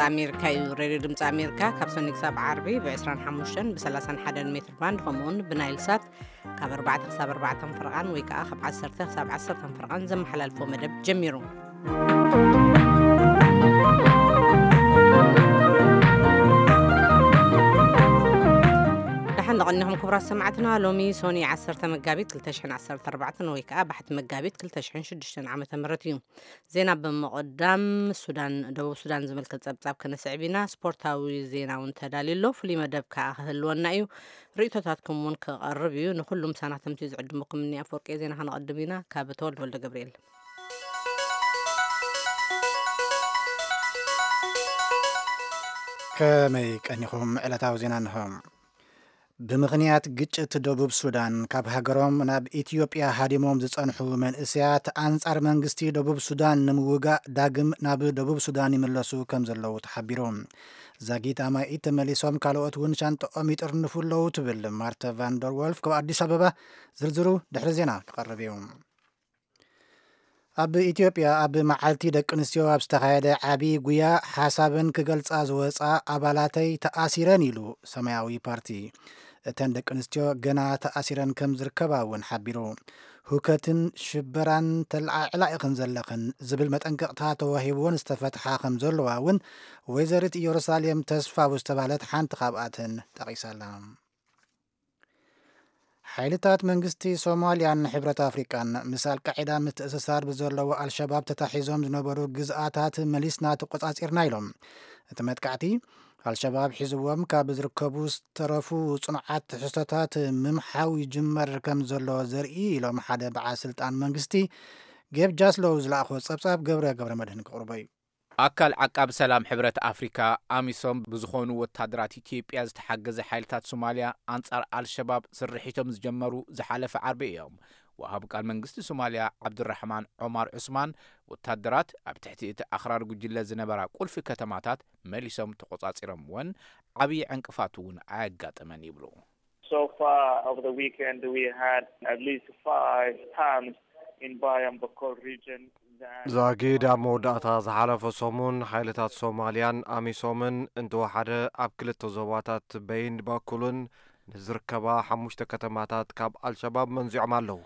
ኣሜሪካ እዩ። ሬድዮ ድምፂ ኣሜሪካ ካብ ሰኒ ክሳብ ዓርቢ ብ25 ብ31 ሜትር ባንድ፣ ከምኡውን ብናይል ሳት ካብ ኣርባዕተ ክሳብ ኣርባዕተ ፍርቓን ወይ ከዓ ካብ ዓሰርተ ክሳብ ዓሰርተ ፍርቓን ዘመሓላልፎ መደብ ጀሚሩ። ደሓን ደቐኒኹም ክቡራት ሰማዕትና። ሎሚ ሶኒ ዓሰርተ መጋቢት ክልተ ሽሕን ዓሰርተ ኣርባዕተን ወይ ከዓ ባሕቲ መጋቢት ክልተ ሽሕን ሽዱሽተን ዓመተ ምህረት እዩ። ዜና ብምቕዳም፣ ሱዳን፣ ደቡብ ሱዳን ዝምልከት ጸብጻብ ክነስዕብ ኢና። ስፖርታዊ ዜና እውን ተዳልዩ ኣሎ። ፍሉይ መደብ ከኣ ክህልወና እዩ። ርእይቶታትኩም እውን ክቐርብ እዩ። ንኹሉም ሳናተምቲ ዝዕድሙኩም እኒ ኣፈወርቂ ዜና ከነቐድም ኢና። ካብ ተወልደ ወልደ ገብርኤል። ከመይ ቀኒኹም? ዕለታዊ ዜና እንሆ። ብምኽንያት ግጭት ደቡብ ሱዳን ካብ ሃገሮም ናብ ኢትዮጵያ ሃዲሞም ዝጸንሑ መንእሰያት ኣንጻር መንግስቲ ደቡብ ሱዳን ንምውጋእ ዳግም ናብ ደቡብ ሱዳን ይምለሱ ከም ዘለዉ ተሓቢሩ። ዛጊት ኣማኢት ተመሊሶም ካልኦት እውን ሻንጥኦም ይጥርንፉ ኣለዉ ትብል ማርተ ቫንደር ወልፍ ካብ ኣዲስ ኣበባ። ዝርዝሩ ድሕሪ ዜና ክቐርብ እዩ። ኣብ ኢትዮጵያ ኣብ መዓልቲ ደቂ ኣንስትዮ ኣብ ዝተኻየደ ዓቢ ጉያ ሓሳበን ክገልጻ ዝወጻ ኣባላተይ ተኣሲረን ኢሉ ሰማያዊ ፓርቲ። እተን ደቂ ኣንስትዮ ገና ተኣሲረን ከም ዝርከባ እውን ሓቢሩ። ሁከትን ሽበራን ተለዓዕላ ኢኽን ዘለኽን ዝብል መጠንቀቕታ ተዋሂብዎን ዝተፈትሓ ከም ዘለዋ እውን ወይዘሪት ኢየሩሳሌም ተስፋው ዝተባህለት ሓንቲ ካብኣተን ጠቒሳላ። ሓይልታት መንግስቲ ሶማልያን ሕብረት ኣፍሪቃን ምስ ኣልቃዒዳ ምትእስሳር ብዘለዎ ኣልሸባብ ተታሒዞም ዝነበሩ ግዝኣታት መሊስና ተቆጻጺርና ኢሎም። እቲ መጥቃዕቲ ኣልሸባብ ሒዝዎም ካብ ዝርከቡ ዝተረፉ ጽኑዓት ትሕዝቶታት ምምሓው ይጅመር ከም ዘሎ ዘርኢ ኢሎም ሓደ በዓል ስልጣን መንግስቲ ጌብ ጃስሎው ዝለኣኾ ጸብጻብ ገብረ ገብረ መድህን ክቕርቦ እዩ። ኣካል ዓቃቢ ሰላም ሕብረት ኣፍሪካ፣ ኣሚሶም፣ ብዝኾኑ ወታደራት ኢትዮጵያ ዝተሓገዘ ሓይልታት ሶማልያ ኣንጻር ኣልሸባብ ስርሒቶም ዝጀመሩ ዝሓለፈ ዓርቢ እዮም። ወሃብ ቃል መንግስቲ ሶማልያ ዓብዱራሕማን ዖማር ዑስማን፣ ወታደራት ኣብ ትሕቲ እቲ ኣኽራሪ ጉጅለ ዝነበራ ቁልፊ ከተማታት መሊሶም ተቖጻጺሮምወን፣ ዓብዪ ዕንቅፋት እውን ኣየጋጠመን ይብሉ። So far over the weekend, we had at least five times in Bayambakol region. That ዛጊድ ኣብ መወዳእታ ዝሓለፈ ሰሙን ሓይልታት ሶማልያን ኣሚሶምን እንተወሓደ ኣብ ክልተ ዞባታት በይን ባኩልን ንዝርከባ ሓሙሽተ ከተማታት ካብ ኣልሸባብ መንዚዖም ኣለዉ።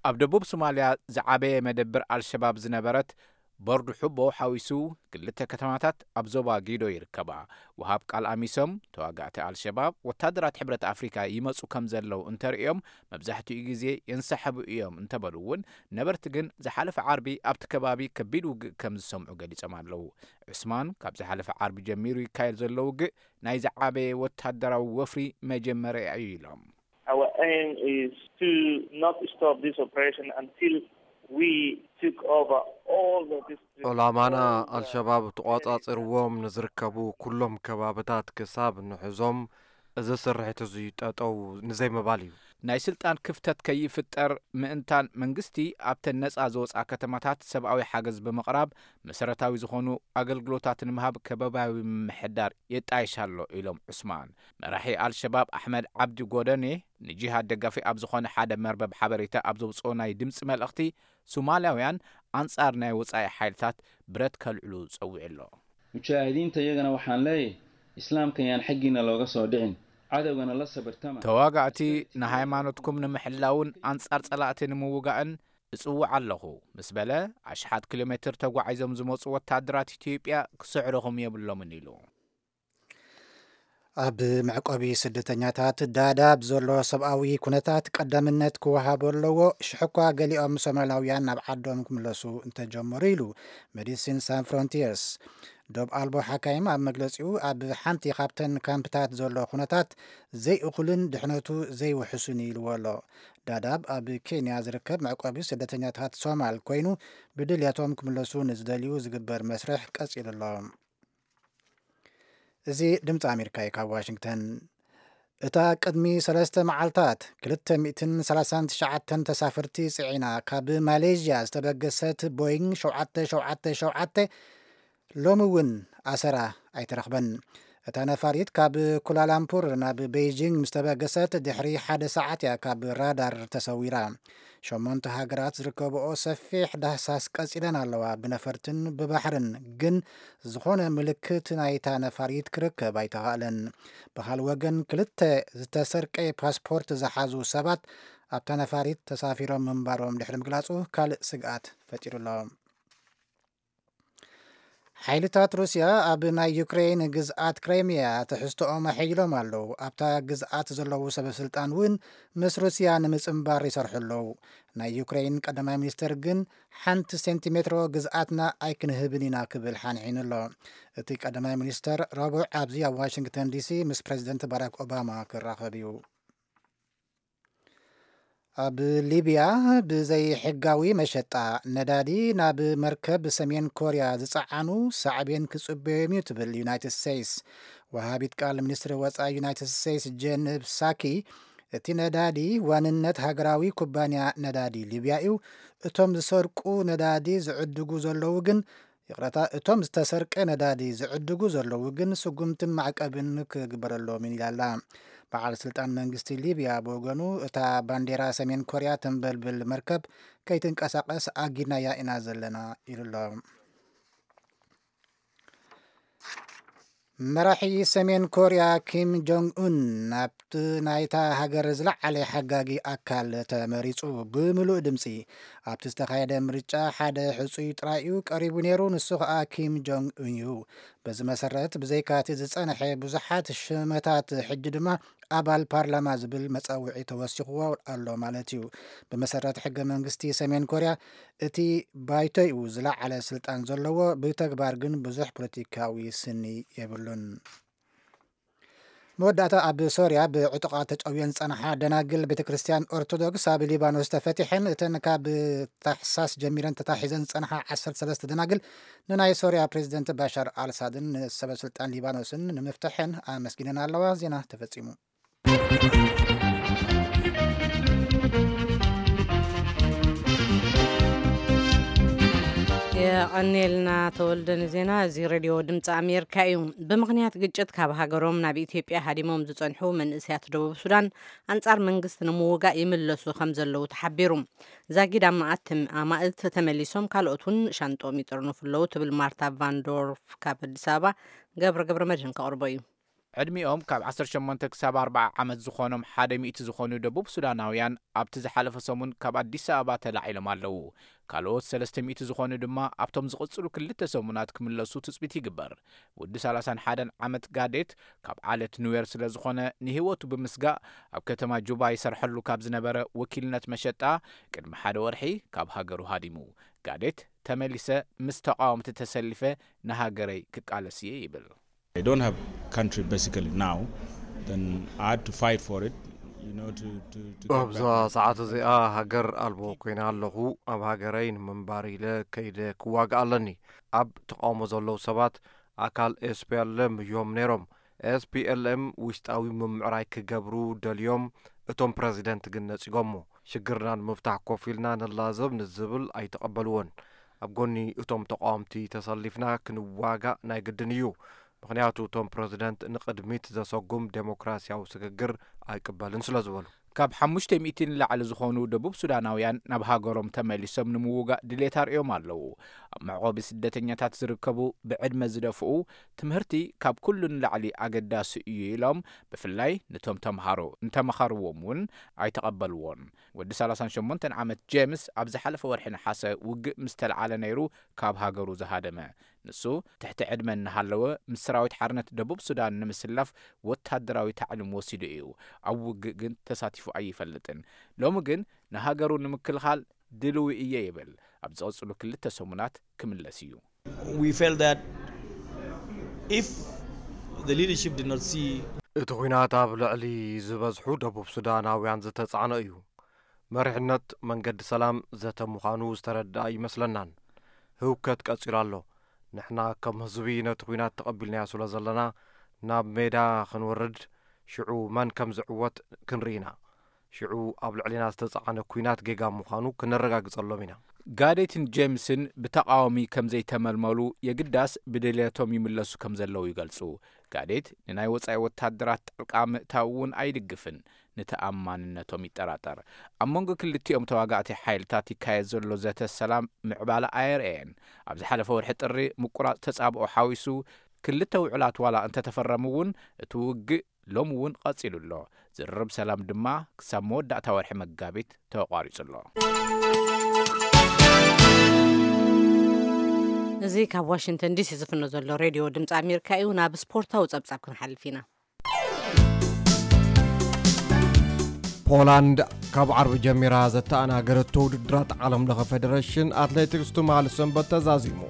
ኣብ ደቡብ ሶማልያ ዝዓበየ መደብር ኣልሸባብ ዝነበረት ቦርድ ሑቦ ሓዊሱ ክልተ ከተማታት ኣብ ዞባ ጊዶ ይርከባ። ወሃብ ቃል ኣሚሶም፣ ተዋጋእቲ ኣልሸባብ ወታደራት ሕብረት ኣፍሪካ ይመፁ ከም ዘለዉ እንተርእዮም፣ መብዛሕትኡ ግዜ የንሳሕቡ እዮም እንተበሉ እውን፣ ነበርቲ ግን ዝሓለፈ ዓርቢ ኣብቲ ከባቢ ከቢድ ውግእ ከም ዝሰምዑ ገሊጾም ኣለዉ። ዑስማን፣ ካብ ዝሓለፈ ዓርቢ ጀሚሩ ይካየድ ዘሎ ውግእ ናይ ዝዓበየ ወታደራዊ ወፍሪ መጀመርያ እዩ ኢሎም። Our aim is to not stop this operation until we took over all the districts, ዕላማና all the ኣልሸባብ ተቋጻጺርዎም ንዝርከቡ ኩሎም ከባብታት ክሳብ ንሕዞም፣ እዚ ስርሒት እዚ ጠጠው ንዘይምባል እዩ። ናይ ስልጣን ክፍተት ከይፍጠር ምእንታን መንግስቲ ኣብተን ነጻ ዝወጻ ከተማታት ሰብኣዊ ሓገዝ ብምቕራብ መሰረታዊ ዝኾኑ ኣገልግሎታት ንምሃብ ከባብያዊ ምምሕዳር የጣይሽ ኣሎ ኢሎም ዑስማን። መራሒ ኣልሸባብ ኣሕመድ ዓብዲ ጎደኔ ንጂሃድ ደጋፊ ኣብ ዝኾነ ሓደ መርበብ ሓበሬታ ኣብ ዘውፅኦ ናይ ድምፂ መልእኽቲ፣ ሶማልያውያን ኣንጻር ናይ ወጻኢ ሓይልታት ብረት ከልዕሉ ጸዊዑ ኣሎ። Mujaahidiinta iyagana waxaan leeyahay, Islaamka yaan xaggiina looga soo dhicin, cadowgana la sabirtama. ተዋጋእቲ ንሃይማኖትኩም ንምሕላውን ኣንጻር ጸላእቲ ንምውጋእን እጽውዕ ኣለኹ ምስ በለ፣ ኣሽሓት ኪሎ ሜትር ተጓዒዞም ዝመጹ ወታደራት ኢትዮጵያ ክስዕርኹም የብሎምን ኢሉ። ኣብ መዕቆቢ ስደተኛታት ዳዳብ ዘሎ ሰብኣዊ ኩነታት ቀዳምነት ክወሃቦ ኣለዎ። ሽሕ እኳ ገሊኦም ሶማላውያን ናብ ዓዶም ክምለሱ እንተጀመሩ ኢሉ ሜዲሲን ሳን ፍሮንቲየርስ። ዶብ ኣልቦ ሓካይም ኣብ መግለጺኡ፣ ኣብ ሓንቲ ካብተን ካምፕታት ዘሎ ኩነታት ዘይእኹልን ድሕነቱ ዘይውሕሱን እዩ ኢልዎ ኣሎ። ዳዳብ ኣብ ኬንያ ዝርከብ መዕቆቢ ስደተኛታት ሶማል ኮይኑ፣ ብድልየቶም ክምለሱ ንዝደልዩ ዝግበር መስርሕ ቀጺሉ ኣሎ። እዚ ድምፂ ኣሜሪካ እዩ ካብ ዋሽንግተን። እታ ቅድሚ ሰለስተ መዓልታት ክልተ ሚእትን ሰላሳን ትሽዓተን ተሳፈርቲ ፅዒና ካብ ማሌዥያ ዝተበገሰት ቦይንግ ሸውዓተ ሸውዓተ ሸውዓተ ሎሚ እውን ኣሰራ ኣይተረኽበን። እታ ነፋሪት ካብ ኩላላምፑር ናብ ቤይጂንግ ምስ ተበገሰት ድሕሪ ሓደ ሰዓት እያ ካብ ራዳር ተሰዊራ። ሸሞንተ ሃገራት ዝርከብኦ ሰፊሕ ዳህሳስ ቀጺለን ኣለዋ። ብነፈርትን ብባሕርን ግን ዝኾነ ምልክት ናይታ ነፋሪት ክርከብ ኣይተኻእለን። ብኻል ወገን ክልተ ዝተሰርቀ ፓስፖርት ዝሓዙ ሰባት ኣብታ ነፋሪት ተሳፊሮም ምንባሮም ድሕሪ ምግላጹ ካልእ ስግኣት ፈጢሩ ኣሎ። ሓይልታት ሩስያ ኣብ ናይ ዩክሬን ግዝኣት ክሬምያ ትሕዝቶኦም ኣሐይሎም ኣለዉ። ኣብታ ግዝኣት ዘለዉ ሰበስልጣን እውን ምስ ሩስያ ንምጽንባር ይሰርሑ ኣለዉ። ናይ ዩክሬን ቀዳማይ ሚኒስትር ግን ሓንቲ ሴንቲሜትሮ ግዝኣትና ኣይክንህብን ኢና ክብል ሓንሒኑ ኣሎ። እቲ ቀዳማይ ሚኒስትር ረቡዕ ኣብዚ ኣብ ዋሽንግተን ዲሲ ምስ ፕሬዚደንት ባራክ ኦባማ ክራኸብ እዩ። ኣብ ሊብያ ብዘይሕጋዊ መሸጣ ነዳዲ ናብ መርከብ ሰሜን ኮርያ ዝጸዓኑ ሳዕቤን ክጽበዮም እዩ ትብል ዩናይትድ ስቴትስ። ወሃቢት ቃል ሚኒስትሪ ወጻኢ ዩናይትድ ስቴትስ ጄን ሳኪ፣ እቲ ነዳዲ ዋንነት ሃገራዊ ኩባንያ ነዳዲ ሊብያ እዩ። እቶም ዝሰርቁ ነዳዲ ዝዕድጉ ዘለዉ ግን፣ ይቕረታ፣ እቶም ዝተሰርቀ ነዳዲ ዝዕድጉ ዘለዉ ግን ስጉምትን ማዕቀብን ክግበረሎምን ኢላላ። በዓል ስልጣን መንግስቲ ሊብያ ብወገኑ፣ እታ ባንዴራ ሰሜን ኮርያ ተንበልብል መርከብ ከይትንቀሳቐስ ኣጊድናያ ኢና ዘለና ኢሉ ኣሎ። መራሒ ሰሜን ኮርያ ኪም ጆንግ ኡን ናብቲ ናይታ ሃገር ዝለዓለ ሓጋጊ ኣካል ተመሪጹ ብምሉእ ድምጺ። ኣብቲ ዝተኻየደ ምርጫ ሓደ ሕጹይ ጥራይ እዩ ቀሪቡ ነይሩ፣ ንሱ ኸኣ ኪም ጆንግ ኡን እዩ። በዚ መሰረት ብዘይካቲ ዝጸንሐ ብዙሓት ሽመታት ሕጂ ድማ ኣባል ፓርላማ ዝብል መጸውዒ ተወሲኽዎ ኣሎ ማለት እዩ። ብመሰረት ሕገ መንግስቲ ሰሜን ኮርያ እቲ ባይቶኡ ዝለዓለ ስልጣን ዘለዎ፣ ብተግባር ግን ብዙሕ ፖለቲካዊ ስኒ የብሉን። መወዳእታ ኣብ ሶርያ ብዕጡቓት ተጨውየን ዝጸንሓ ደናግል ቤተ ክርስቲያን ኦርቶዶክስ ኣብ ሊባኖስ ተፈቲሐን። እተን ካብ ታሕሳስ ጀሚረን ተታሒዘን ዝጸንሓ ዓሰርተ ሰለስተ ደናግል ንናይ ሶርያ ፕሬዚደንት ባሻር ኣልሳድን ንሰበ ስልጣን ሊባኖስን ንምፍታሐን ኣመስጊነን ኣለዋ። ዜና ተፈጺሙ። የቐኔልና ተወልደ ንዜና። እዚ ሬድዮ ድምፂ ኣሜሪካ እዩ። ብምኽንያት ግጭት ካብ ሃገሮም ናብ ኢትዮጵያ ሃዲሞም ዝፀንሑ መንእሰያት ደቡብ ሱዳን ኣንፃር መንግስቲ ንምውጋእ ይምለሱ ከም ዘለዉ ተሓቢሩ። ዛጊድ ኣማኣት ተም-፣ ኣማእት ተመሊሶም፣ ካልኦት እውን ሻንጦም ይጥርንፉ ኣለዉ ትብል ማርታ ቫንዶርፍ ካብ ኣዲስ ኣበባ። ገብረ ገብረ መድህን ከቕርቦ እዩ። ዕድሚኦም ካብ ዓሰርተ ሸሞንተ ክሳብ ኣርብዓ ዓመት ዝኾኖም ሓደ ሚእቲ ዝኾኑ ደቡብ ሱዳናውያን ኣብቲ ዝሓለፈ ሰሙን ካብ ኣዲስ ኣበባ ተላዒሎም ኣለዉ። ካልኦት ሰለስተ ሚእቲ ዝኾኑ ድማ ኣብቶም ዝቕጽሉ ክልተ ሰሙናት ክምለሱ ትጽቢት ይግበር። ወዲ ሰላሳን ሓደን ዓመት ጋዴት ካብ ዓለት ኑዌር ስለ ዝኾነ፣ ንህይወቱ ብምስጋእ ኣብ ከተማ ጁባ ይሰርሐሉ ካብ ዝነበረ ወኪልነት መሸጣ ቅድሚ ሓደ ወርሒ ካብ ሃገሩ ሃዲሙ። ጋዴት ተመሊሰ ምስ ተቓወምቲ ተሰሊፈ ንሃገረይ ክቃለስ እየ ይብል። I don't have country basically now. Then I had to fight for it, you know, to, to, to get ኣብዚ back my ሰዓት እዚኣ ሃገር ኣልቦ ኮይነ ኣለኹ። ኣብ ሃገረይ ንምንባር ኢለ ከይደ ክዋጋእ ኣለኒ። ኣብ ተቃውሞ ዘለዉ ሰባት ኣካል ኤስፒኤልኤም እዮም ነይሮም። ኤስፒኤልኤም ውሽጣዊ ምምዕራይ ክገብሩ ደልዮም፣ እቶም ፕረዚደንት ግን ነጺጎሞ። ሽግርና ንምፍታሕ ኮፍ ኢልና ንላዘብ ንዝብል ኣይተቐበልዎን። ኣብ ጎኒ እቶም ተቃወምቲ ተሰሊፍና ክንዋጋእ ናይ ግድን እዩ። ምኽንያቱ እቶም ፕረዚደንት ንቕድሚት ዘሰጉም ዴሞክራሲያዊ ስግግር ኣይቅበልን ስለ ዝበሉ። ካብ ሓሙሽተ ሚእቲ ንላዕሊ ዝኾኑ ደቡብ ሱዳናውያን ናብ ሃገሮም ተመሊሶም ንምውጋእ ድሌት ኣርእዮም ኣለዉ። ኣብ መዕቆቢ ስደተኛታት ዝርከቡ፣ ብዕድመ ዝደፍኡ፣ ትምህርቲ ካብ ኩሉ ንላዕሊ ኣገዳሲ እዩ ኢሎም፣ ብፍላይ ነቶም ተምሃሮ እንተመኸርዎም እውን ኣይተቐበልዎን። ወዲ ሰላሳን ሸሞንተን ዓመት ጄምስ ኣብ ዝሓለፈ ወርሒ ነሓሰ ውግእ ምስ ተለዓለ ነይሩ ካብ ሃገሩ ዝሃደመ። ንሱ ትሕቲ ዕድመ እናሃለወ ምስ ሰራዊት ሓርነት ደቡብ ሱዳን ንምስላፍ ወታደራዊ ታዕሊም ወሲዱ እዩ። ኣብ ውግእ ግን ተሳቲፉ ኣይፈልጥን። ሎሚ ግን ንሃገሩ ንምክልኻል ድልዊ እየ ይብል። ኣብ ዝቐጽሉ ክልተ ሰሙናት ክምለስ እዩ። We felt that if the leadership did not see እቲ ኲናት ኣብ ልዕሊ ዝበዝሑ ደቡብ ሱዳናውያን ዝተጻዕነ እዩ። መሪሕነት መንገዲ ሰላም ዘተ ምዃኑ ዝተረድኣ ይመስለናን። ህውከት ቀጺሉ ኣሎ። ንሕና ከም ህዝቢ ነቲ ኲናት ተቐቢልናዮ ስለ ዘለና፣ ናብ ሜዳ ክንወርድ፣ ሽዑ መን ከም ዝዕወት ክንርኢ ኢና። ሽዑ ኣብ ልዕሌና ዝተጻዕነ ኲናት ጌጋ ምዃኑ ክነረጋግጸሎም ኢና። ጋዴትን ጄምስን ብተቓዋሚ ከም ዘይተመልመሉ፣ የግዳስ ብድልየቶም ይምለሱ ከም ዘለዉ ይገልጹ። ጋዴት ንናይ ወጻኢ ወታደራት ጣልቃ ምእታው እውን ኣይድግፍን፣ ንተኣማንነቶም ይጠራጠር። ኣብ መንጎ ክልቲኦም ተዋጋእቲ ሓይልታት ይካየድ ዘሎ ዘተ ሰላም ምዕባለ ኣየርእየን። ኣብ ዝሓለፈ ወርሒ ጥሪ ምቁራጽ ተጻብኦ ሓዊሱ፣ ክልተ ውዕላት ዋላ እንተተፈረሙ እውን፣ እቲ ውግእ ሎሚ እውን ቀጺሉ ኣሎ። ዝርርብ ሰላም ድማ ክሳብ መወዳእታ ወርሒ መጋቢት ተቋሪጹ ኣሎ። እዚ ካብ ዋሽንግተን ዲሲ ዝፍኖ ዘሎ ሬድዮ ድምፂ ኣሜሪካ እዩ። ናብ ስፖርታዊ ጸብጻብ ክንሓልፍ ኢና። ፖላንድ ካብ ዓርቢ ጀሚራ ዘተኣናገረቶ ውድድራት ዓለም ለኸ ፌደሬሽን ኣትሌቲክስ ትማሊ ሰንበት ተዛዚሙ።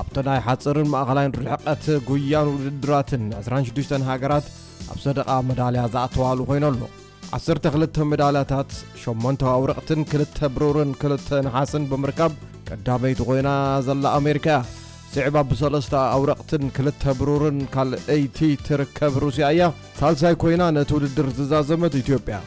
ኣብቲ ናይ ሓፂርን ማእኸላይን ርሕቀት ጉያን ውድድራትን ዕስራን ሽዱሽተን ሃገራት ኣብ ሰደቓ መዳልያ ዝኣተዋሉ ኮይነሉ። ዓሰርተ ክልተ መዳልያታት፣ ሸሞንተ ኣውረቕትን ክልተ ብሩርን ክልተ ነሓስን ብምርካብ ቀዳመይቲ ኮይና ዘላ ኣሜሪካ እያ። ስዒባ ብሰለስተ ኣውረቕትን ክልተ ብሩርን ካልኣይቲ ትርከብ ሩስያ እያ። ሳልሳይ ኮይና ነቲ ውድድር ዝዛዘመት ኢትዮጵያ፣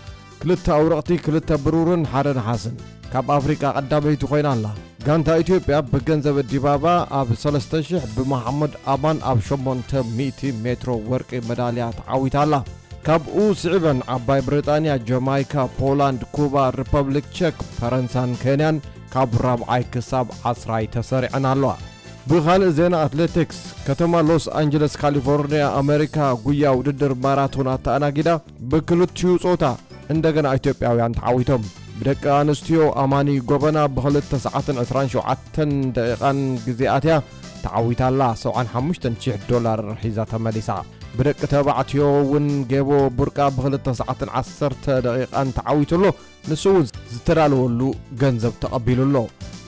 ክልተ ኣውረቕቲ፣ ክልተ ብሩርን ሓደ ነሓስን፣ ካብ ኣፍሪቃ ቀዳመይቲ ኮይና ኣላ። ጋንታ ኢትዮጵያ ብገንዘብ ዲባባ ኣብ ሰለስተ ሺሕ፣ ብመሓመድ ኣማን ኣብ ሸሞንተ ሚእቲ ሜትሮ ወርቂ መዳልያ ተዓዊታ ኣላ። ካብኡ ስዒበን ዓባይ ብሪጣንያ፣ ጀማይካ፣ ፖላንድ፣ ኩባ፣ ሪፐብሊክ ቸክ፣ ፈረንሳን ኬንያን ካብ ራብዓይ ክሳብ ዓስራይ ተሰሪዐን ኣለዋ። ብኻልእ ዜና ኣትሌቲክስ፣ ከተማ ሎስ ኣንጀለስ ካሊፎርኒያ ኣሜሪካ ጉያ ውድድር ማራቶን ኣተኣናጊዳ ብክልቲኡ ጾታ እንደገና ኢትዮጵያውያን ተዓዊቶም። ብደቂ ኣንስትዮ ኣማኒ ጎበና ብክልተ ሰዓትን ዕስራን ሸውዓተን ደቂቓን ግዜ ኣትያ ተዓዊታ ኣላ፣ ሰብዓን ሓሙሽተን ሽሕ ዶላር ሒዛ ተመሊሳ። ብደቂ ተባዕትዮ እውን ጌቦ ቡርቃ ብክልተ ሰዓትን ዓሰርተ ደቂቓን ተዓዊቱ ኣሎ። ንሱ እውን ዝተዳለወሉ ገንዘብ ተቐቢሉ ኣሎ።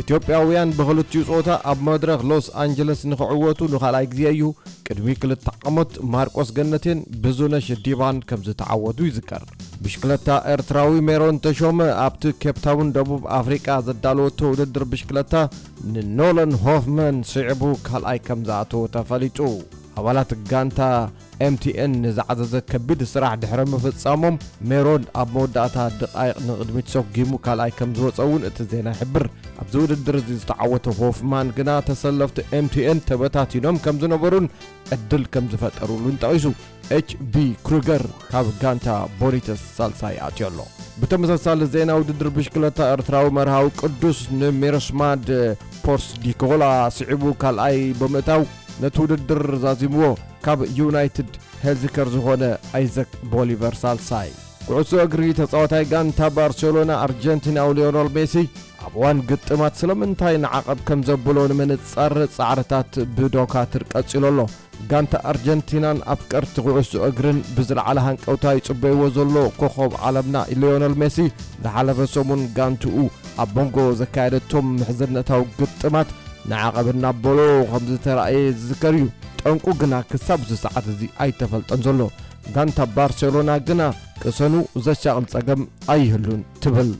ኢትዮጵያውያን ብኽልቲኡ ጾታ ኣብ መድረኽ ሎስ ኣንጀለስ ንኽዕወቱ ንኻልኣይ ግዜ እዩ። ቅድሚ ክልተ ዓመት ማርቆስ ገነቴን ብዙነሽ ዲባን ከም ዝተዓወቱ ይዝከር። ብሽክለታ ኤርትራዊ ሜሮን ተሾመ ኣብቲ ኬፕታውን ደቡብ ኣፍሪቃ ዘዳለወቶ ውድድር ብሽክለታ ንኖለን ሆፍመን ስዒቡ ካልኣይ ከም ዝኣተወ ተፈሊጡ። ኣባላት ጋንታ ኤምቲኤን ንዝዓዘዘ ከቢድ ስራሕ ድሕሪ ምፍጻሞም፣ ሜሮን ኣብ መወዳእታ ደቃይቕ ንቕድሚት ሰጒሙ ካልኣይ ከም ዝወጸ እውን እቲ ዜና ይሕብር። ኣብዚ ውድድር እዚ ዝተዓወተ ሆፍማን ግና ተሰለፍቲ ኤምቲኤን ተበታቲኖም ከም ዝነበሩን ዕድል ከም ዝፈጠሩሉን ጠቒሱ። ኤች ቢ ክሩገር ካብ ጋንታ ቦኒተስ ሳልሳይ ኣትዮ ኣሎ። ብተመሳሳሊ ዜና ውድድር ብሽክለታ ኤርትራዊ መርሃዊ ቅዱስ ንሚሮስማድ ፖርስዲኮላ ስዒቡ ካልኣይ ብምእታው ነቲ ውድድር ዛዚምዎ። ካብ ዩናይትድ ሄልዚከር ዝኾነ ኣይዘክ ቦሊቨር ሳልሳይ። ኩዕሶ እግሪ ተጻዋታይ ጋንታ ባርሴሎና ኣርጀንቲናዊ ሊዮነል ሜሲ ኣብ እዋን ግጥማት ስለምንታይ ንዓቐብ ከም ዘብሎ ንምንጻር ጻዕርታት ብዶካትር ቀጺሉ ኣሎ። ጋንታ ኣርጀንቲናን ኣፍቀርቲ ኩዕሶ እግርን ብዝለዓለ ሃንቀውታ ይጽበይዎ ዘሎ ኮኸብ ዓለምና ሊዮነል ሜሲ ዝሓለፈ ሰሙን ጋንትኡ ኣብ መንጎ ዘካየደቶም ምሕዝነታዊ ግጥማት ንዓቐብ እናበሎ ከም ዝተራእየ ዝዝከር እዩ። ጠንቁ ግና ክሳብ እዚ ሰዓት እዚ ኣይተፈልጠን ዘሎ። ጋንታ ባርሴሎና ግና ቅሰኑ ዘሻቕል ጸገም ኣይህሉን ትብል።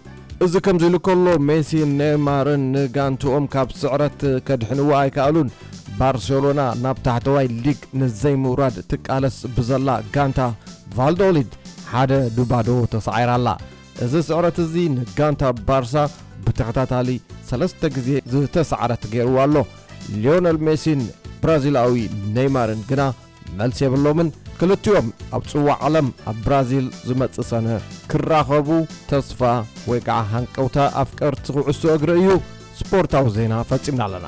እዚ ከምዚ ኢሉ ከሎ፣ ሜሲን ኔይማርን ንጋንትኦም ካብ ስዕረት ከድሕንዎ ኣይከኣሉን። ባርሴሎና ናብ ታሕተዋይ ሊግ ንዘይምውራድ ትቃለስ ብዘላ ጋንታ ቫልዶሊድ ሓደ ንባዶ ተሳዒራ ኣላ። እዚ ስዕረት እዚ ንጋንታ ባርሳ ብተኸታታሊ ሰለስተ ግዜ ዝተሳዕረት ገይርዋ ኣሎ። ሊዮነል ሜሲን ብራዚላዊ ኔይማርን ግና መልሲ የብሎምን። ክልቲኦም ኣብ ጽዋዕ ዓለም ኣብ ብራዚል ዝመጽእ ሰነ ክራኸቡ ተስፋ ወይ ከዓ ሃንቀውታ ኣፍቀርቲ ኩዕሶ እግሪ እዩ። ስፖርታዊ ዜና ፈጺምና ኣለና።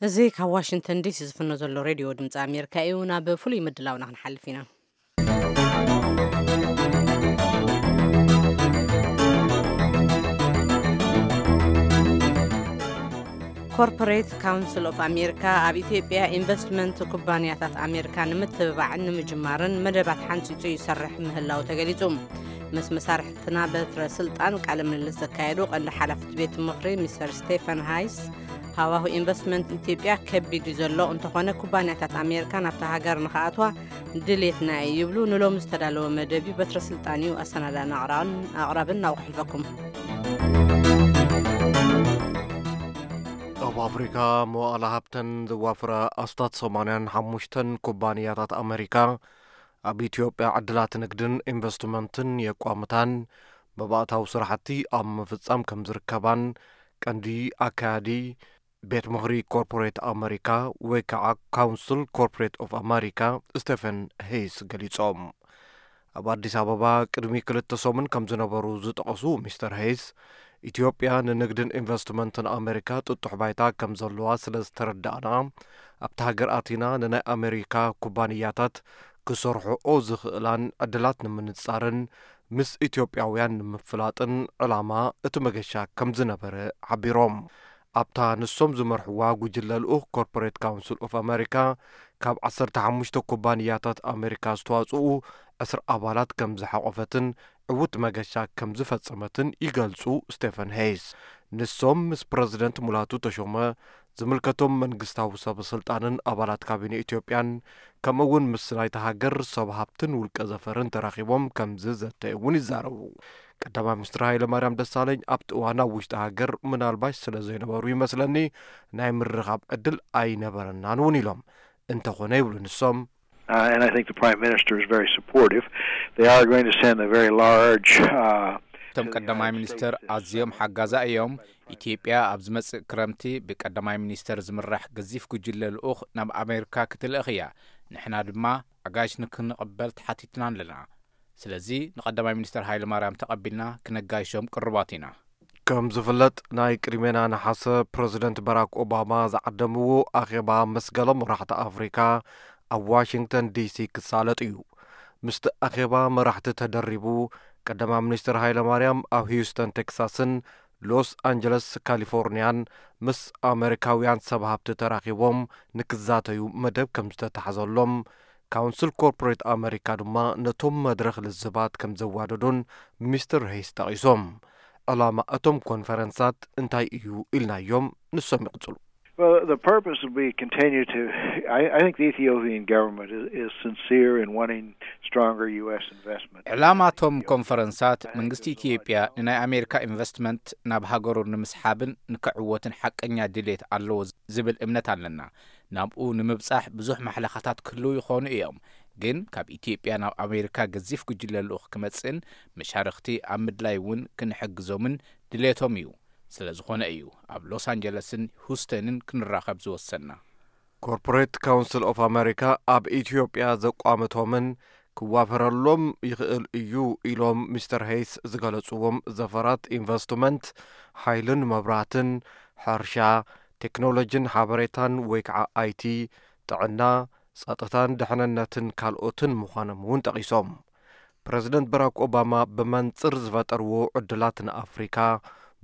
እዚ ካብ ዋሽንግተን ዲሲ ዝፍኖ ዘሎ ሬድዮ ድምፂ ኣሜሪካ እዩ። ናብ ፍሉይ ምድላውና ክንሓልፍ ኢና። ኮርፖሬት ካውንስል ኦፍ ኣሜሪካ ኣብ ኢትዮጵያ ኢንቨስትመንት ኩባንያታት ኣሜሪካ ንምትብባዕን ንምጅማርን መደባት ሓንፂፁ ይሰርሕ ምህላው ተገሊፁ። ምስ መሳርሕትና በትረ ስልጣን ቃለ ምልልስ ዘካየዱ ቀንዲ ሓላፊ ቤት ምኽሪ ሚስተር ስቴፈን ሃይስ፣ ሃዋሁ ኢንቨስትመንት ኢትዮጵያ ከቢድ እዩ ዘሎ፣ እንተኾነ ኩባንያታት ኣሜሪካ ናብታ ሃገር ንኽኣትዋ ድሌትና እዩ ይብሉ። ንሎሚ ዝተዳለወ መደብ እዩ፣ በትረ ስልጣን እዩ ኣሰናዳን ኣቕራብን፣ ኣቕራብን ናብኡ ክሕልፈኩም። ኣብ ኣፍሪካ መዋእለ ሃብተን ዘዋፍራ ኣስታት ሰማንያን ሓሙሽተን ኩባንያታት ኣሜሪካ ኣብ ኢትዮጵያ ዕድላት ንግድን ኢንቨስትመንትን የቋምታን መባእታዊ ስራሕቲ ኣብ ምፍጻም ከም ዝርከባን ቀንዲ ኣካያዲ ቤት ምኽሪ ኮርፖሬት ኣመሪካ ወይ ከዓ ካውንስል ኮርፖሬት ኦፍ ኣመሪካ ስቴፈን ሄይስ ገሊጾም። ኣብ ኣዲስ ኣበባ ቅድሚ ክልተ ሰሙን ከም ዝነበሩ ዝጠቐሱ ሚስተር ሄይስ፣ ኢትዮጵያ ንንግድን ኢንቨስትመንትን ኣመሪካ ጥጡሕ ባይታ ከም ዘለዋ ስለ ዝተረዳእና፣ ኣብቲ ሃገር ኣቲና ንናይ ኣመሪካ ኩባንያታት ክሰርሕኦ ዝኽእላን ዕድላት ንምንጻርን ምስ ኢትዮጵያውያን ንምፍላጥን ዕላማ እቲ መገሻ ከም ዝነበረ ሓቢሮም። ኣብታ ንሶም ዝመርሕዋ ጉጅለ ልኡኽ ኮርፖሬት ካውንስል ኦፍ ኣመሪካ ካብ ዓሰርተ ሓሙሽተ ኩባንያታት ኣመሪካ ዝተዋጽኡ ዕስራ ኣባላት ከም ዝሓቖፈትን ዕዉት መገሻ ከም ዝፈጸመትን ይገልጹ ስቴፈን ሄይስ። ንሶም ምስ ፕረዚደንት ሙላቱ ተሾመ፣ ዝምልከቶም መንግስታዊ ሰብ ስልጣንን ኣባላት ካቢነ ኢትዮጵያን ከምኡ እውን ምስ ናይታ ሃገር ሰብ ሃብትን ውልቀ ዘፈርን ተራኺቦም ከም ዝዘተዩ እውን ይዛረቡ። ቀዳማይ ሚኒስትር ሃይለ ማርያም ደሳለኝ ኣብቲ እዋን ኣብ ውሽጢ ሃገር ምናልባሽ ስለ ዘይነበሩ ይመስለኒ ናይ ምርኻብ ዕድል ኣይነበረናን እውን ኢሎም። እንተኾነ ይብሉ ንሶም፣ Uh, and I think the Prime Minister is very supportive. They are going to send a very large. Uh, እቶም ቀዳማይ ሚኒስተር ኣዝዮም ሓጋዛ እዮም። ኢትዮጵያ ኣብ ዝመጽእ ክረምቲ ብቀዳማይ ሚኒስተር ዝምራሕ ገዚፍ ጉጅለ ልኡኽ ናብ ኣሜሪካ ክትልእኽ እያ። ንሕና ድማ ኣጋይሽ ንክንቕበል ተሓቲትና ኣለና። ስለዚ ንቀዳማይ ሚኒስተር ሃይለ ማርያም ተቐቢልና ክነጋይሾም ቅሩባት ኢና። ከም ዝፍለጥ ናይ ቅድሜና ነሓሰ ፕረዚደንት ባራክ ኦባማ ዝዓደምዎ ኣኼባ ምስ ገለ መራሕቲ ኣፍሪካ ኣብ ዋሽንግተን ዲሲ ክሳለጥ እዩ። ምስቲ ኣኼባ መራሕቲ ተደሪቡ ቀዳማይ ሚኒስትር ሃይለ ማርያም ኣብ ሂውስተን ቴክሳስን ሎስ ኣንጀለስ ካሊፎርኒያን ምስ ኣመሪካውያን ሰብ ሃብቲ ተራኺቦም ንክዛተዩ መደብ ከም ዝተታሕዘሎም ካውንስል ኮርፖሬት ኣመሪካ ድማ ነቶም መድረኽ ልዝባት ከም ዘዋደዱን ሚስተር ሄይስ ጠቒሶም። ዕላማ እቶም ኮንፈረንሳት እንታይ እዩ ኢልናዮም፣ ንሶም ይቕጽሉ። Well, the purpose would be continue to. I, I think the Ethiopian government is, is sincere in wanting stronger U S investment. ዕላማቶም ኮንፈረንሳት መንግስቲ ኢትዮጵያ ንናይ ኣሜሪካ ኢንቨስትመንት ናብ ሃገሩ ንምስሓብን ንክዕወትን ሓቀኛ ድሌት ኣለዎ ዝብል እምነት ኣለና። ናብኡ ንምብጻሕ ብዙሕ ማሕለኻታት ክህልው ይኾኑ እዮም፣ ግን ካብ ኢትዮጵያ ናብ ኣሜሪካ ገዚፍ ጉጅለ ልኡኽ ክመጽእን መሻርኽቲ ኣብ ምድላይ እውን ክንሕግዞምን ድሌቶም እዩ። ስለ ዝኾነ እዩ ኣብ ሎስ ኣንጀለስን ሁስተንን ክንራኸብ ዝወሰንና። ኮርፖሬት ካውንስል ኦፍ ኣመሪካ ኣብ ኢትዮጵያ ዘቋመቶምን ክዋፈረሎም ይኽእል እዩ ኢሎም ሚስተር ሄይስ ዝገለጽዎም ዘፈራት ኢንቨስትመንት፣ ሓይልን መብራህትን፣ ሕርሻ፣ ቴክኖሎጂን ሓበሬታን ወይ ከዓ ኣይቲ፣ ጥዕና፣ ጸጥታን ደሕንነትን ካልኦትን ምዃኖም እውን ጠቒሶም። ፕረዚደንት ባራክ ኦባማ ብመንጽር ዝፈጠርዎ ዕድላት ንኣፍሪካ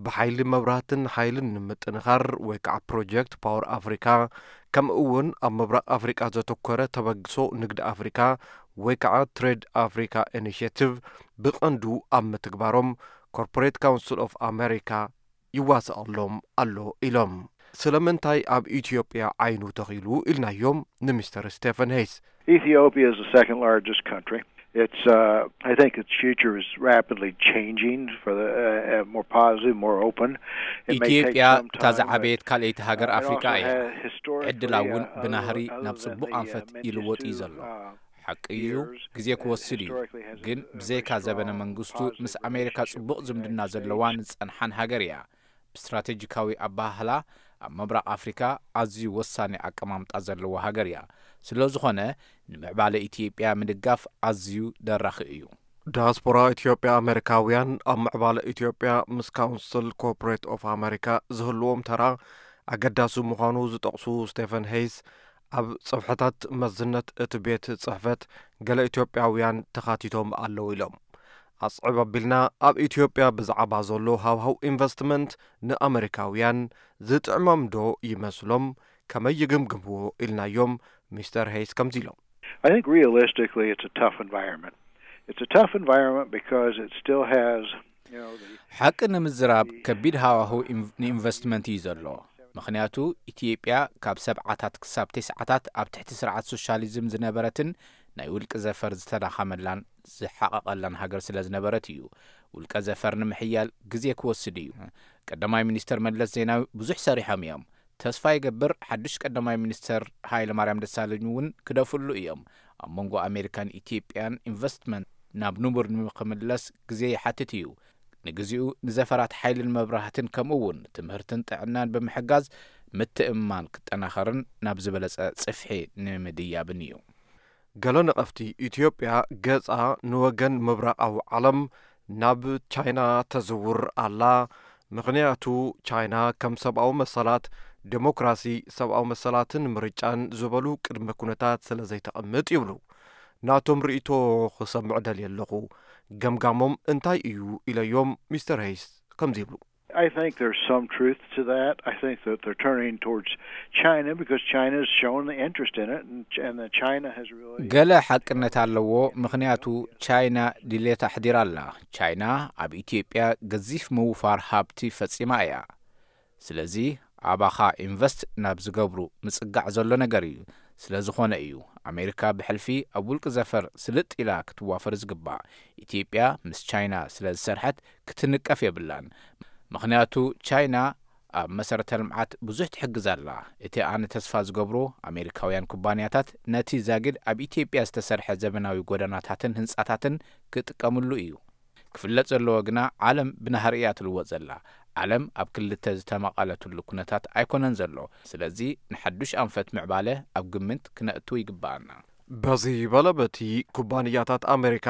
ብሓይሊ መብራህትን ሓይልን ንምጥንኻር ወይ ከዓ ፕሮጀክት ፓወር ኣፍሪካ ከምኡ እውን ኣብ ምብራቕ ኣፍሪካ ዘተኮረ ተበግሶ ንግዲ ኣፍሪካ ወይ ከዓ ትሬድ ኣፍሪካ ኢኒሽቲቭ ብቐንዱ ኣብ ምትግባሮም ኮርፖሬት ካውንስል ኦፍ ኣሜሪካ ይዋስኣሎም ኣሎ ኢሎም። ስለምንታይ ኣብ ኢትዮጵያ ዓይኑ ተኺሉ ኢልናዮም ንሚስተር ስቴፈን ሄይስ። Ethiopia is the second largest country. It's, uh, I think its future is rapidly changing for the uh, uh, more positive, more open. It may take ኢትዮጵያ some እታ time, ዝዓበየት but, ካልኣይቲ ሃገር uh, it ኣፍሪካ also እያ። has historically, ዕድላ እውን uh, ብናህሪ other ናብ than ጽቡቕ the, uh, ኣንፈት Mengistu, ይልወጥ እዩ ዘሎ። Uh, ሓቂ እዩ፣ years, ግዜ it ክወስድ እዩ። historically has a, ግን a ብዘይካ very ዘበነ strong መንግስቱ positive ምስ ኣሜሪካ relationship ጽቡቕ with the ዝምድና United ዘለዋን States. ዝጸንሓን ሃገር እያ። ብስትራቴጂካዊ ኣባህላ ኣብ ምብራቕ ኣፍሪካ ኣዝዩ ወሳኒ ኣቀማምጣ ዘለዋ ሃገር እያ። ስለ ዝኾነ ንምዕባለ ኢትዮጵያ ምድጋፍ ኣዝዩ ደራኺ እዩ። ዳያስፖራ ኢትዮጵያ ኣሜሪካውያን ኣብ ምዕባለ ኢትዮጵያ ምስ ካውንስል ኮርፖሬት ኦፍ ኣሜሪካ ዝህልዎም ተራ ኣገዳሲ ምዃኑ ዝጠቕሱ ስቴፈን ሄይስ፣ ኣብ ጽፍሕታት መዝነት እቲ ቤት ጽሕፈት ገለ ኢትዮጵያውያን ተኻቲቶም ኣለዉ ኢሎም። ኣስዕብ ኣቢልና ኣብ ኢትዮጵያ ብዛዕባ ዘሎ ሃውሃው ኢንቨስትመንት ንኣመሪካውያን ዝጥዕሞም ዶ ይመስሎም፣ ከመይ ይግምግምዎ ኢልናዮም ሚስተር ሄይስ ከምዚ ኢሎም። I think realistically, it's a tough environment. It's a tough environment because it still has, you know, the ሓቂ ንምዝራብ ከቢድ ሃዋህው ኢንቭ- ንኢንቨስትመንት እዩ ዘሎ። ምኽንያቱ ኢትዮጵያ ካብ ሰብዓታት ክሳብ ተስዓታት ኣብ ትሕቲ ስርዓት ሶሻሊዝም ዝነበረትን ናይ ውልቂ ዘፈር ዝተዳኸመላን ዝሓቐቐላን ሃገር ስለ ዝነበረት እዩ። ውልቀ ዘፈር ንምሕያል ግዜ ክወስድ እዩ። ቀዳማይ ሚኒስተር መለስ ዜናዊ ብዙሕ ሰሪሖም እዮም። ተስፋ ይገብር ሓዱሽ ቀዳማይ ሚኒስተር ሃይለ ማርያም ደሳለኝ እውን ክደፍሉ እዮም። ኣብ መንጎ ኣሜሪካን ኢትዮጵያን ኢንቨስትመንት ናብ ንቡር ንምክምለስ ግዜ ይሓትት እዩ። ንግዚኡ ንዘፈራት ሓይልን መብራህትን ከምኡ እውን ትምህርትን ጥዕናን ብምሕጋዝ ምትእምማን ክጠናኸርን ናብ ዝበለጸ ጽፍሒ ንምድያብን እዩ። ገለ ነቐፍቲ፣ ኢትዮጵያ ገጻ ንወገን ምብራቓዊ ዓለም ናብ ቻይና ተዝውር ኣላ፣ ምኽንያቱ ቻይና ከም ሰብኣዊ መሰላት፣ ዴሞክራሲ፣ ሰብኣዊ መሰላትን ምርጫን ዝበሉ ቅድመ ኩነታት ስለ ዘይተቐምጥ ይብሉ። ናቶም ርእይቶ ክሰምዕ ደልየ ኣለኹ። ገምጋሞም እንታይ እዩ ኢለዮም፣ ሚስተር ሄይስ ከምዚ ይብሉ። I think there's some truth to that. I think that they're turning towards China because China's shown the interest in it, and, and that China has really ገለ ሓቅነት ኣለዎ፣ ምኽንያቱ ቻይና ድሌት ኣሕዲራ ኣላ። ቻይና ኣብ ኢትዮጵያ ገዚፍ ምውፋር ሃብቲ ፈጺማ እያ። ስለዚ ኣባኻ ኢንቨስት ናብ ዝገብሩ ምጽጋዕ ዘሎ ነገር እዩ። ስለ ዝኾነ እዩ ኣሜሪካ ብሕልፊ ኣብ ውልቂ ዘፈር ስልጥ ኢላ ክትዋፈር ዝግባእ። ኢትዮጵያ ምስ ቻይና ስለ ዝሰርሐት ክትንቀፍ የብላን። ምኽንያቱ ቻይና ኣብ መሰረተ ልምዓት ብዙሕ ትሕግዝ ኣላ። እቲ ኣነ ተስፋ ዝገብሮ ኣሜሪካውያን ኩባንያታት ነቲ ዛጊድ ኣብ ኢትዮጵያ ዝተሰርሐ ዘበናዊ ጎደናታትን ህንጻታትን ክጥቀምሉ እዩ። ክፍለጥ ዘለዎ ግና ዓለም ብናህሪ እያ ትልወጥ ዘላ። ዓለም ኣብ ክልተ ዝተመቐለትሉ ኩነታት ኣይኮነን ዘሎ። ስለዚ ንሓዱሽ ኣንፈት ምዕባለ ኣብ ግምት ክነእትው ይግባኣና። በዚ በለ በቲ ኩባንያታት ኣሜሪካ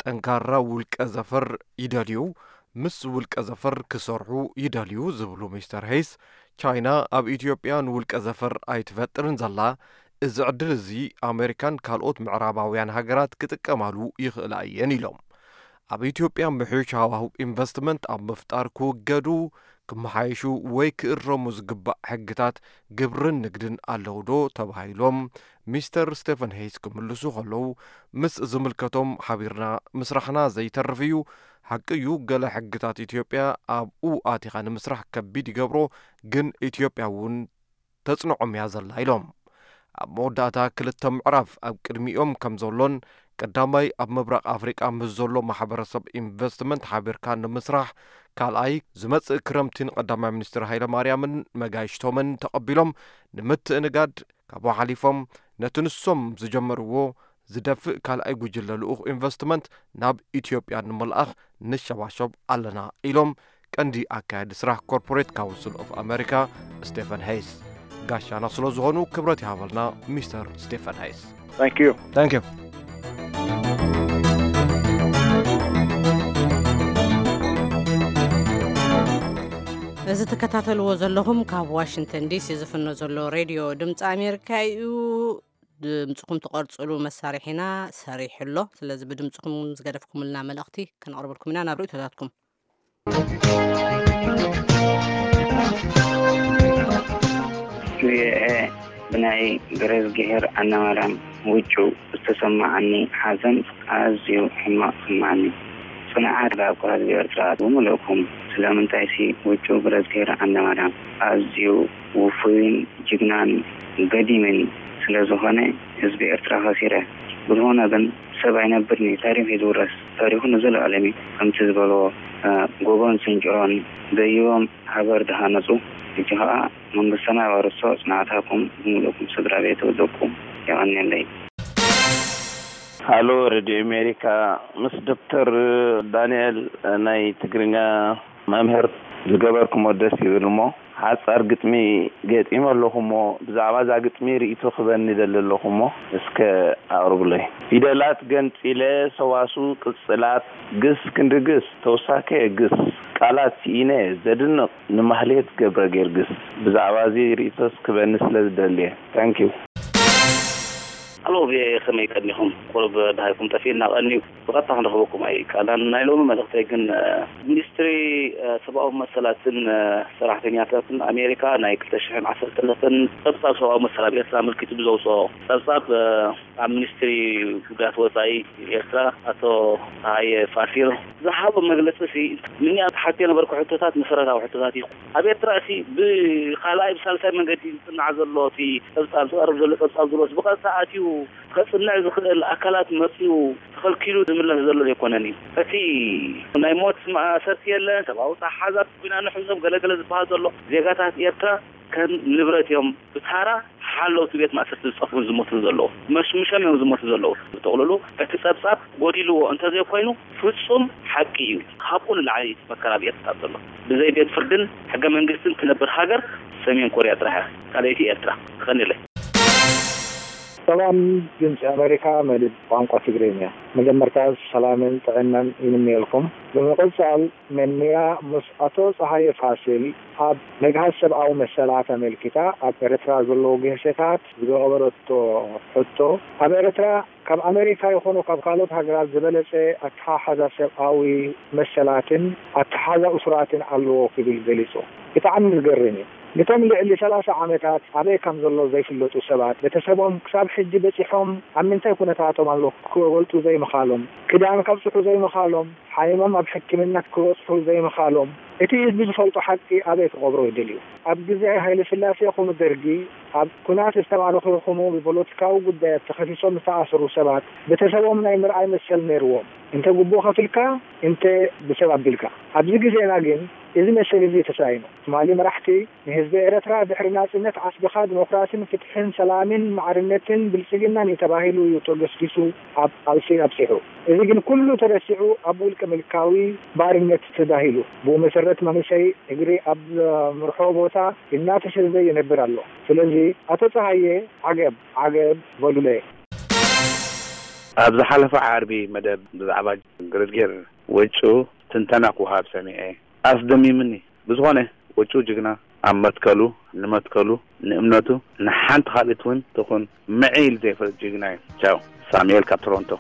ጠንካራ ውልቀ ዘፈር ይደልዩ፣ ምስ ውልቀ ዘፈር ክሰርሑ ይደልዩ ዝብሉ ሚስተር ሄይስ፣ ቻይና ኣብ ኢትዮጵያ ንውልቀ ዘፈር ኣይትፈጥርን ዘላ፣ እዚ ዕድል እዚ ኣሜሪካን ካልኦት ምዕራባውያን ሃገራት ክጥቀማሉ ይኽእላ እየን ኢሎም። ኣብ ኢትዮጵያ ምሕዩሽ ሃዋህው ኢንቨስትመንት ኣብ ምፍጣር ክውገዱ፣ ክመሓየሹ ወይ ክእረሙ ዝግባእ ሕግታት ግብርን ንግድን ኣለዉ ዶ ተባሂሎም ሚስተር ስቴፈን ሄይስ ክምልሱ ከለዉ፣ ምስ ዝምልከቶም ሓቢርና ምስራሕና ዘይተርፍ እዩ። ሓቂ እዩ፣ ገለ ሕግታት ኢትዮጵያ ኣብኡ ኣቲኻ ንምስራሕ ከቢድ ይገብሮ፣ ግን ኢትዮጵያ እውን ተጽንዖም እያ ዘላ ኢሎም። ኣብ መወዳእታ ክልተ ምዕራፍ ኣብ ቅድሚኦም ከም ዘሎን ቀዳማይ ኣብ ምብራቕ ኣፍሪቃ ምስ ዘሎ ማሕበረሰብ ኢንቨስትመንት ሓቢርካ ንምስራሕ፣ ካልኣይ ዝመጽእ ክረምቲ ንቀዳማይ ሚኒስትር ሃይለ ማርያምን መጋይሽቶምን ተቐቢሎም ንምትእንጋድ ካብኡ ሓሊፎም ነቲ ንሶም ዝጀመርዎ ዝደፍእ ካልኣይ ጉጅለ ልኡኽ ኢንቨስትመንት ናብ ኢትዮጵያ ንምልኣኽ ንሸባሸብ ኣለና ኢሎም ቀንዲ ኣካያዲ ስራሕ ኮርፖሬት ካውንስል ኦፍ ኣሜሪካ ስቴፈን ሄይስ ጋሻና ስለ ዝኾኑ ክብረት ይሃበልና ሚስተር ስቴፈን ሄይስ። Thank you. Thank you. እዚ ትከታተልዎ ዘለኹም ካብ ዋሽንግተን ዲሲ ዝፍኖ ዘሎ ሬድዮ ድምፂ ኣሜሪካ እዩ። ድምፅኹም ትቐርፅሉ መሳርሒና ሰሪሑ ኣሎ። ስለዚ ብድምፅኹም ዝገደፍኩምልና መልእኽቲ ከነቕርበልኩም ኢና። ናብ ርእይቶታትኩም። ቪኦኤ፣ ብናይ ገረዝግሄር ኣናማርያም ውጩ ዝተሰማዓኒ ሓዘን ኣዝዩ ሕማቕ ስማዓኒ። ጽንዓት ላብካ ህዝቢ ኤርትራ ብምልእኩም። ስለምንታይሲ ውጩ ገረዝግሄር ኣናማርያም ኣዝዩ ውፉይን ጅግናን ገዲምን ስለ ዝኾነ ህዝቢ ኤርትራ ከሲረ። ብዝኾነ ግን ሰብ ኣይነብርን እዩ፣ ታሪኽ እዩ ዝውረስ። ታሪኹ ንዘለኣለም እዩ። ከምቲ ዝበልዎ፣ እ፣ ጎቦን ስንጭሮን ደይቦም ሃገር ዝሃነጹ፣ ሕጂ ኸኣ መንግስትና የዋርሶ ጽንዓታኩም ብምልእኩም ስድራ ቤት ወደቁ። የቐንየለይ። ሃሎ ሬድዮ ኣሜሪካ፣ ምስ ዶክተር ዳንኤል ናይ ትግርኛ መምህር ዝገበርኩሞ ደስ ይብል እሞ፣ ሓጻር ግጥሚ ገጢመ ኣለኹ እሞ፣ ብዛዕባ እዛ ግጥሚ ርእይቶ ክበኒ ደሊ ኣለኹ እሞ፣ እስከ ኣቕርብለይ። ፊደላት ገንጺለ፣ ሰዋስው ቅጽላት፣ ግስ ክንዲ ግስ፣ ተውሳከ ግስ፣ ቃላት ስኢነ፣ ዘድንቕ ንማህሌት ገብረ ጊዮርጊስ። ብዛዕባ እዚ ርእይቶስ ክበኒ ስለ ዝደሊ እየ። ታንኪዩ። ኣሎ፣ ቪኦኤ፣ ከመይ ቀኒኹም? ቁሩብ ደሃይኩም ጠፊእና ቀንዩ። ብቐጥታ ክንረኽበኩም ኣይከኣልናን። ናይ ሎሚ መልእኽተይ ግን፣ እ፣ ሚኒስትሪ፣ እ፣ ሰብኣዊ መሰላትን፣ እ፣ ሰራሕተኛታትን ኣሜሪካ ናይ ክልተ ሽሕን ዓሰርተ ክልተን ጸብጻብ ሰብኣዊ መሰል ኣብ ኤርትራ ኣመልኪቱ ብዘውጽኦ ጸብጻብ፣ እ፣ ኣብ ሚኒስትሪ ጉዳያት ወጻኢ ኤርትራ ኣቶ ጸሃየ ፋሲል ዝሃቦ መግለጺ ሲ፣ ምንያ ተሓትዮ ነበርኩ ሕቶታት መሰረታዊ ሕቶታት እዩ። ኣብ ኤርትራ ሲ ብኻልኣይ ብሳልሳይ መንገዲ ዝጽናዕ ዘሎ እቲ ጸብጻብ፣ ዝቐርብ ዘሎ ጸብጻብ ዝብሎስ ብቐጥታ ኣትዩ ከጽንዕ ዝኽእል ኣካላት መጺኡ ተኸልኪሉ ዝምለስ ዘሎ ዘይኮነን እዩ። እቲ ናይ ሞት ማእሰርቲ የለን፣ ሰብኣዊ ተሓዛት ኲናት ንሕዞም ገለገለ ዝበሃል ዘሎ ዜጋታት ኤርትራ ከም ንብረት እዮም ብታራ ሓለውቲ ቤት ማእሰርቲ ዝጠፍኡን ዝሞቱን ዘለዉ። መሽምሾም እዮም ዝሞቱ ዘለዉ። ብጥቕልሉ እቲ ጸብጻብ ጎዲልዎ እንተዘይኮይኑ ፍጹም ሓቂ እዩ። ካብኡ ንላዕሊ መከራ ኣብ ኤርትራ ዘሎ። ብዘይ ቤት ፍርድን ሕገ መንግስትን ትነብር ሃገር ሰሜን ኮርያ ጥራሕ እያ። ካልኣይቲ ኤርትራ። የቐንየለይ። ሰላም ድምፂ ኣሜሪካ መደብ ቋንቋ ትግርኛ። መጀመርታ ሰላምን ጥዕናን ይምነየልኩም። ብምቕጻል መንያ ምስ ኣቶ ጸሃየ ፋሲል ኣብ መግሃስ ሰብኣዊ መሰላት ኣመልኪታ ኣብ ኤርትራ ዘለዉ ጌሸታት ዝገበረቶ ሕቶ፣ ኣብ ኤርትራ ካብ ኣሜሪካ ይኹኑ ካብ ካልኦት ሃገራት ዝበለጸ ኣተሓሕዛ ሰብኣዊ መሰላትን ኣተሓሕዛ እሱራትን ኣለዎ ክብል ገሊጹ። ብጣዕሚ ዝገርም እዩ። ነቶም ልዕሊ ሰላሳ ዓመታት ኣበይ ከም ዘሎ ዘይፍለጡ ሰባት፣ ቤተሰቦም ክሳብ ሕጂ በጺሖም ኣብ ምንታይ ኩነታቶም ኣለዉ ክገልጹ ዘይምኻሎም፣ ክዳን ከብጽሑ ዘይምኻሎም፣ ሓይሞም ኣብ ሕክምና ክበጽሑ ዘይምኻሎም፣ እቲ ህዝቢ ዝፈልጦ ሓቂ ኣበይ ክቐብሮ ይደልዩ? ኣብ ግዜ ሃይለ ስላሴ ይኹኑ ደርጊ፣ ኣብ ኩናት ዝተማረኹ ይኹኑ ብፖለቲካዊ ጉዳያት ተኸሲሶም ዝተኣሰሩ ሰባት፣ ቤተሰቦም ናይ ምርኣይ መሰል ነይርዎም። እንተ ግቡእ ከፊልካ፣ እንተ ብሰብ ኣቢልካ። ኣብዚ ግዜና ግን፣ እዚ መሰል እዚ ተሳኢኑ። ትማሊ መራሕቲ ንህዝቢ ኤርትራ ድሕሪ ናጽነት ዓስብኻ ዲሞክራሲን ፍትሕን ሰላምን ማዕርነትን ብልጽግናን እዩ ተባሂሉ እዩ ተገስጊሱ ኣብ ቃልሲ ኣብጺሑ። እዚ ግን ኩሉ ተረሲዑ ኣብ ውልቀ ምልካዊ ባርነት ተዳሂሉ። ብኡ መሰረት መንእሰይ እግሪ ኣብ ምርሖ ቦታ እናተሰደደ ይነብር ኣሎ። ስለዚ ኣቶ ጸሃየ ዓገብ ዓገብ በሉለይ። ኣብ ዝሓለፈ ዓርቢ መደብ ብዛዕባ ግርድጌር ወጩ ትንተና ክወሃብ ሰሚዐ። ኣስደሚምኒ። ብዝኾነ ወጩ ጅግና ኣብ መትከሉ፣ ንመትከሉ፣ ንእምነቱ፣ ንሓንቲ ካልኢት እውን ትኹን ምዒ ኢሉ ዘይፈልጥ ጅግና እዩ። ቻው። ሳሙኤል ካብ ቶሮንቶ።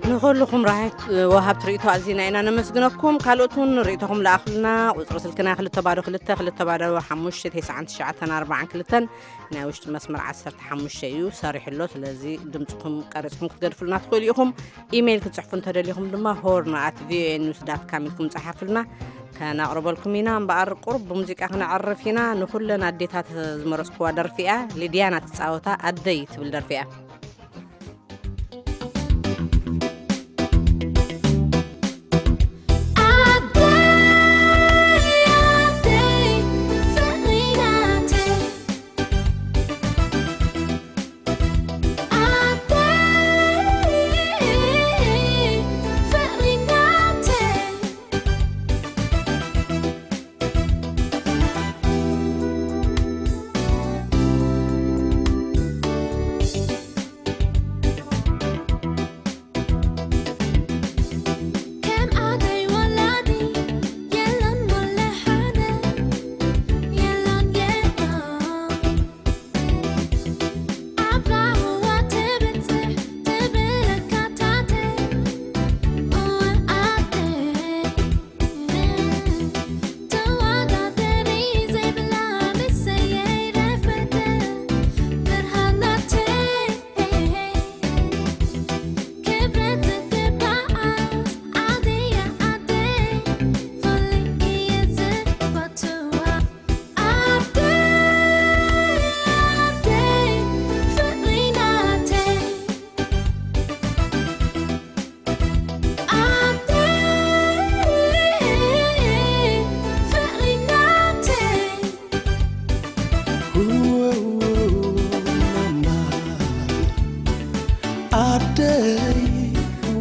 ንኹልኹም ራህይት ወሃብቲ ርእይቶ ኣዚና ኢና ነመስግነኩም። ካልኦት እውን ርእይቶኹም ለኣኹልና። ቁጽሪ ስልክና ክልተ ባዶ ክልተ፣ ክልተ ባዶ ሓሙሽተ፣ ተስዓን ትሽዓተን ኣርባዓን ክልተን። ናይ ውሽጢ መስመር ዓሰርተ ሓሙሽተ እዩ ሰሪሑ ኣሎ። ስለዚ ድምፅኹም ቀሪፅኩም ክትገድፉልና ትኽእሉ ኢኹም። ኢሜይል ክትፅሕፉ እንተደሊኹም ድማ ሆርን ኣት ቪኦኤ ኒውስ ዳት ካም ኢልኩም ፀሓፉልና፣ ከነቕርበልኩም ኢና። እምበኣር ቁሩብ ብሙዚቃ ክነዕርፍ ኢና። ንኹለን ኣዴታት ዝመረፅኩዋ ደርፊ እያ። ሊድያና ትፃወታ ኣደይ ትብል ደርፊ እያ።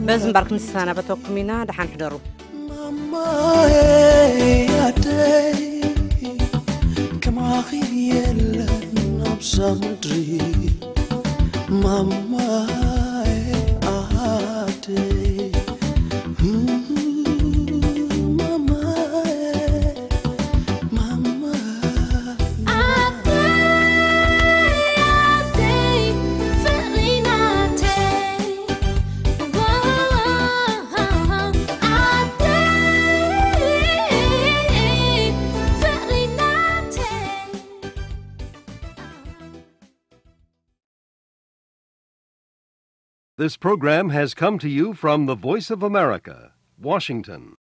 በዚ እምበር ክንሰናበተኩም ኢና። ደሓን ሕደሩ። ማማዬ ኣደይ፣ ከማኺ የለን ኣብዛ ምድሪ። ማማዬ ኣደይ፣ ማማዬ፣ ማማ። ኣደይ፣ ኣደይ፣ ፍቕሪ ናተይ። This program has come to you from the Voice of America, Washington.